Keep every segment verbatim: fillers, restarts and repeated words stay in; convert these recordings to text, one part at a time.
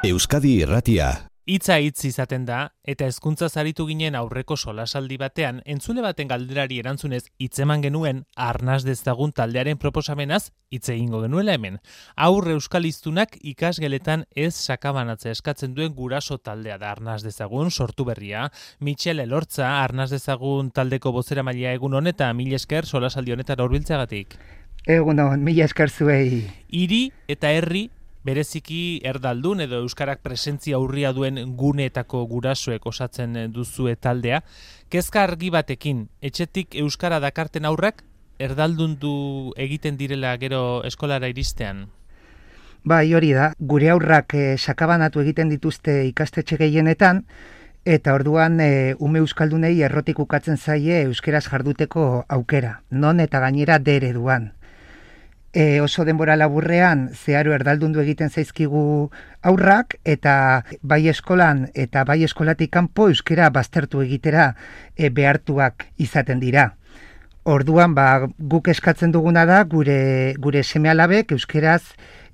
Euskadi Irratia. Hitza hitz izaten da, eta hezkuntza zaritu ginen aurreko solasaldi batean, entzule baten galderari erantzunez hitzeman genuen arnas dezagun taldearen proposamenaz hitz egingo genuela hemen. Aur euskaliztunak ikasgeletan ez sakabanatze eskatzen duen guraso taldea da arnas dezagun sortu berria. Michel Elortza, arnas dezagun taldeko bozeramailea egun honetan, mila esker solasaldi honetan hurbiltzeagatik. Egun hon, mila esker zuei. Hiri eta herri bereziki erdaldun edo euskarak presentzia urria duen guneetako gurasoek osatzen duzue taldea. Kezka argi batekin, etxetik euskara dakarten aurrak erdaldundu egiten direla gero eskolara iristean? Bai, hori da, gure aurrak eh, sakabanatu egiten dituzte ikastetxe gehienetan, eta orduan e, ume euskaldunei errotik ukatzen zaie euskeraz jarduteko aukera, non eta gainera de ereduan. E, oso denbora laburrean zeharo erdaldundu egiten zaizkigu aurrak eta bai eskolan eta bai eskolatik kanpo euskera baztertu egitera e, behartuak izaten dira. Orduan ba, guk eskatzen duguna da gure gure seme-alabek euskeraz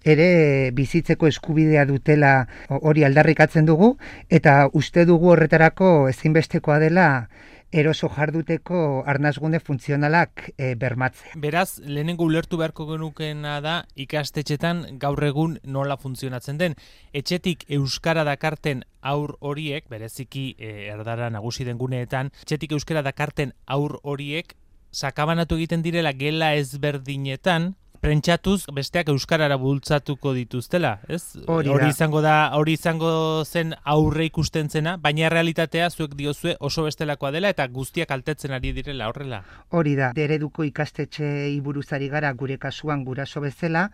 ere bizitzeko eskubidea dutela hori aldarrikatzen dugu eta uste dugu horretarako ezinbestekoa dela eroso jarduteko arnasgune funtzionalak e, bermatzea. Beraz, lehenengo ulertu beharko genukena da ikastetxetan gaur egun nola funtzionatzen den. Etxetik euskara dakarten aur horiek, bereziki e, erdara nagusi den guneetan, etxetik euskara dakarten aur horiek sakabanatu egiten direla gela ezberdinetan, prentsatuz besteak euskarara bultzatuko dituztela, ez? Hori, hori izango da, hori izango zen aurre ikusten zena, baina realitatea zuek diozue oso bestelakoa dela eta guztiak altetzen ari direla horrela. Hori da, dereduko ikastetxe buruzari gara gure kasuan guraso bezala,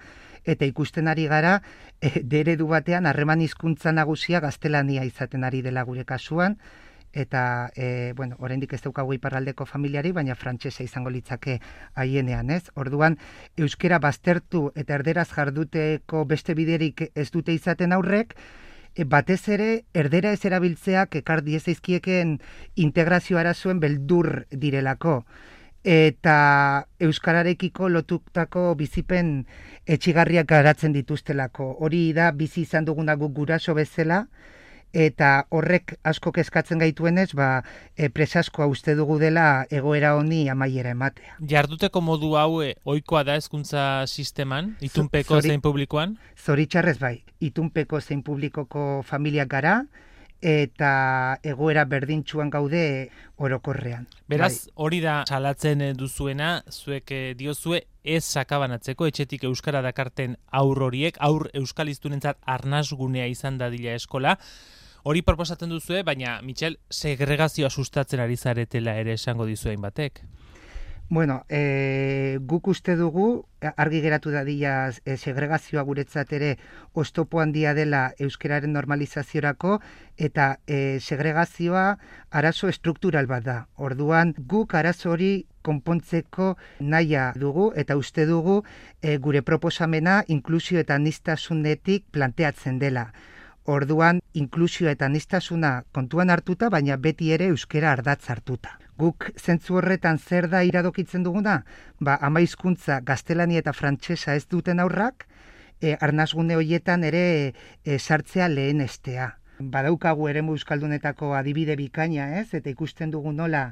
eta ikusten ari gara e, deredu batean harreman hizkuntza nagusia gaztelania izaten ari dela gure kasuan, eta, e, bueno, oraindik ez daukagu iparraldeko familiari, baina frantsesa izango litzake haienean, ez? Orduan, euskera baztertu eta erderaz jarduteko beste biderik ez dute izaten aurrek, e, batez ere, erdera ez erabiltzeak ekar diezaizkieken integrazio arazoen beldur direlako. Eta euskararekiko lotutako bizipen etxigarriak garatzen dituztelako. Hori da, bizi izan duguna guk guraso bezala, eta horrek asko kezkatzen gaituenez, ba, e, presaskoa uste dugu dela egoera honi amaiera ematea. Jarduteko modu hau e, ohikoa da hezkuntza sisteman, itunpeko Zori, zein publikoan? Zoritxarrez bai, itunpeko zein publikoko familiak gara, eta egoera berdintsuan gaude orokorrean. Beraz, bai. Hori da salatzen duzuena, zuek diozue ez sakabanatzeko etxetik euskara dakarten aur horiek, aur euskaliztunentzat arnasgunea izan dadila eskola. Hori proposatzen duzue, baina, Michel, segregazioa sustatzen ari zaretela ere esango dizuen batek. Bueno, e, guk uste dugu, argi geratu dadila e, segregazioa guretzat ere oztopo handia dela euskeraren normalizaziorako, eta e, segregazioa arazo estruktural bat da. Orduan, guk arazo hori konpontzeko nahia dugu, eta uste dugu e, gure proposamena inklusio eta aniztasunetik planteatzen dela. Orduan, inklusio eta aniztasuna kontuan hartuta, baina beti ere euskera ardatz hartuta. Guk zentzu horretan zer da iradokitzen duguna? Ba, ama hizkuntza gaztelania eta frantsesa ez duten aurrak, e, arnasgune horietan ere e, sartzea lehenestea. Badaukagu eremu euskaldunetako adibide bikaina, ez? Eta ikusten dugu nola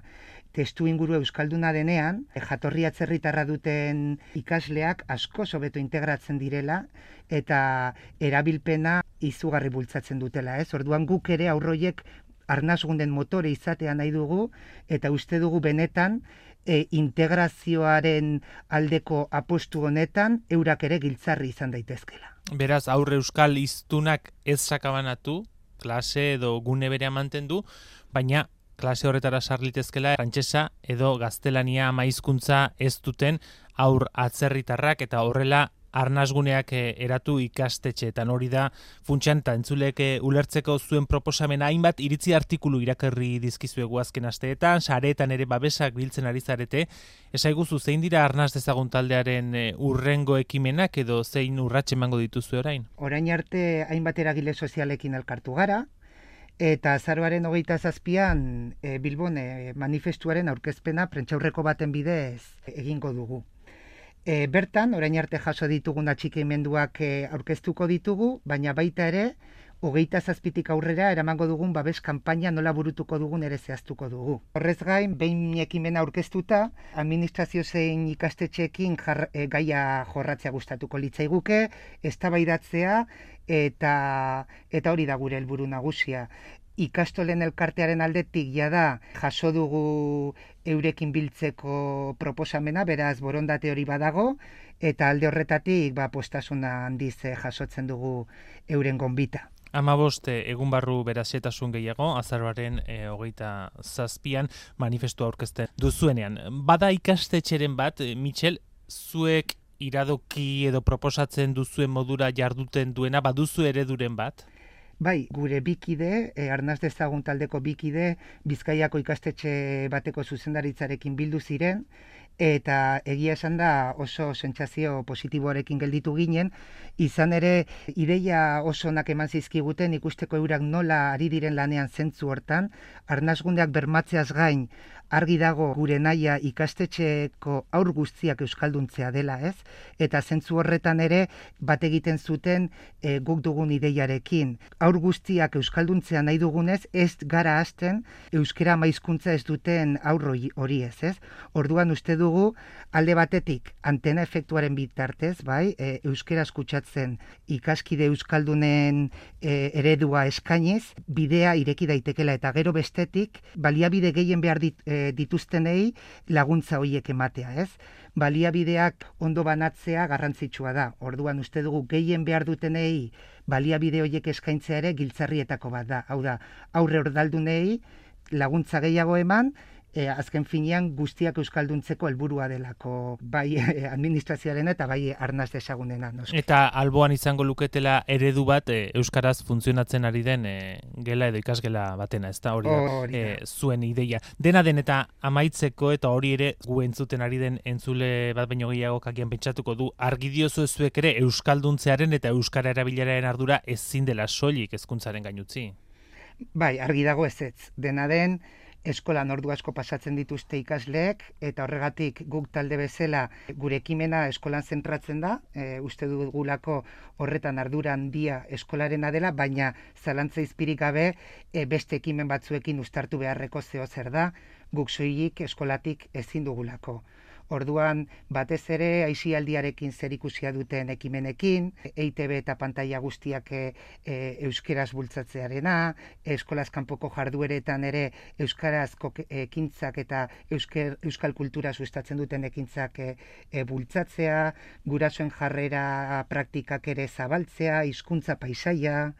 testu inguru euskalduna denean, e, jatorri atzerritarra duten ikasleak asko hobeto integratzen direla eta erabilpena izugarri bultzatzen dutela, ez? Orduan guk ere aurroiek arnasgunden motore izatea nahi dugu eta uste dugu benetan e, integrazioaren aldeko apostu honetan eurak ere giltzarri izan daitezkela. Beraz, aurre euskal hiztunak ez sakabanatu, klase edo gune berea mantendu, baina klase horretara sarlitezkela frantsesa edo gaztelania ama hizkuntza ez duten aur atzerritarrak eta horrela arnasguneak eratu ikastetxeetan. Hori da funtsan eta entzulek ulertzeko zuen proposamena hainbat iritzi artikulu irakurri dizkizuegu azken asteetan, sareetan ere babesak biltzen ari zarete. Esaiguzu zein dira arnas dezagun taldearen urrengo ekimenak edo zein urrats emango dituzue orain? Orain arte hainbat eragile sozialekin elkartu gara, eta azaroaren hogeita zazpian e, Bilbon e, manifestuaren aurkezpena prentsaurreko baten bidez egingo dugu. E, bertan, orain arte jaso ditugun atxikimenduak e, aurkeztuko ditugu, baina baita ere hogeita zazpitik aurrera eramango dugun babes kanpaina nola burutuko dugun ere zehaztuko dugu. Horrez gain, behin ekimena aurkeztuta, administrazio zein ikastetxeekin jar, e, gaia jorratzea gustatuko litzaiguke, eztabaidatzea eta eta hori da gure helburu nagusia. Ikastolen elkartearen aldetik jada jaso dugu eurekin biltzeko proposamena, beraz borondate hori badago, eta alde horretatik ba, postasuna handiz jasotzen dugu euren gonbita. Hamabost egun barru berazetasun gehiago, azaroaren e, hogeita zazpian manifestua aurkezten duzuenean. Bada ikastetxeren bat, Mitxel, zuek iradoki edo proposatzen duzuen modura jarduten duena, baduzu ereduren bat? Bai, gure bikide, e, Arnaz dezagun taldeko bikide, Bizkaiako ikastetxe bateko zuzendaritzarekin bildu ziren, eta egia esan da oso sentsazio positiboarekin gelditu ginen, izan ere ideia oso onak eman zizkiguten ikusteko eurak nola ari diren lanean zentzu hortan, arnasgundeak bermatzeaz gain, argi dago gure naia ikastetxeko aur guztiak euskalduntzea dela, ez? Eta zentzu horretan ere bat egiten zuten e, guk dugun ideiarekin. Aur guztiak euskalduntzea nahi dugunez, ez gara hasten euskera maizkuntza ez duten aur hori ez, ez? Orduan uste dugu alde batetik antena efektuaren bitartez, bai, e, euskera eskutsatzen ikaskide euskaldunen e, eredua eskainiz, bidea ireki daitekela eta gero bestetik baliabide gehien behar dit, e, dituztenei laguntza horiek ematea, ez? Baliabideak ondo banatzea garrantzitsua da. Orduan uste dugu gehien behar dutenei baliabide horiek eskaintzea ere giltzarrietako bat da. Hau da, aurre ordaldunei laguntza gehiago eman, E, azken finean guztiak euskalduntzeko helburua delako, bai administrazioaren eta bai Arnaz dezagunena. Noski. Eta alboan izango luketela eredu bat e, euskaraz funtzionatzen ari den e, gela edo ikasgela batena, ez da hori da, e, zuen ideia. Dena den eta amaitzeko eta hori ere gu entzuten ari den entzule bat baino gehiago kakian pentsatuko du, argi diozu zuek ere euskalduntzearen eta euskara erabileraren ardura ezin dela soilik hezkuntzaren gainutzi. Bai, argi dago ez ez. Dena den, eskolan ordu asko pasatzen dituzte ikasleek, eta horregatik guk talde bezala gure ekimena eskolan zentratzen da, e, uste dugulako horretan ardura handia eskolarena dela, baina zalantza izpirik gabe e, beste ekimen batzuekin uztartu beharreko zeo zer da, guk soilik eskolatik ezin dugulako. Orduan, batez ere, aisialdiarekin zerikusia duten ekimenekin, E I T B eta pantaila guztiak e, e, euskeraz bultzatzearena, eskolaz kanpoko jardueretan ere euskarazko ekintzak eta eusker, euskal kultura sustatzen duten ekintzak e, e, bultzatzea, gurasoen jarrera praktikak ere zabaltzea, hizkuntza paisaia,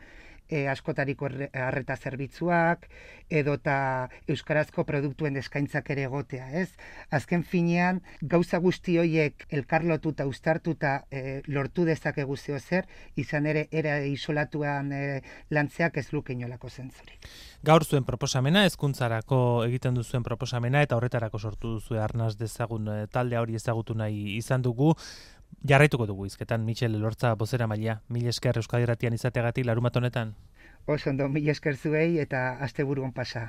E, askotariko arreta zerbitzuak, edota euskarazko produktuen eskaintzak ere egotea, ez? Azken finean, gauza guzti horiek elkarlotuta, uztartuta e, lortu dezakegu zeo zer, izan ere era isolatuan e, lantzeak ez luke inolako zentzurik. Gaur zuen proposamena, hezkuntzarako egiten duzuen proposamena, eta horretarako sortu duzu Arnaz dezagun talde hori ezagutu nahi izan dugu. Jarraituko dugu hizketan, Mitxel Elortza bozeramailea. Mil esker Euskadi Irratian izateagatik larumat honetan. Oso ondo, mil esker zuei eta asteburuan pasa.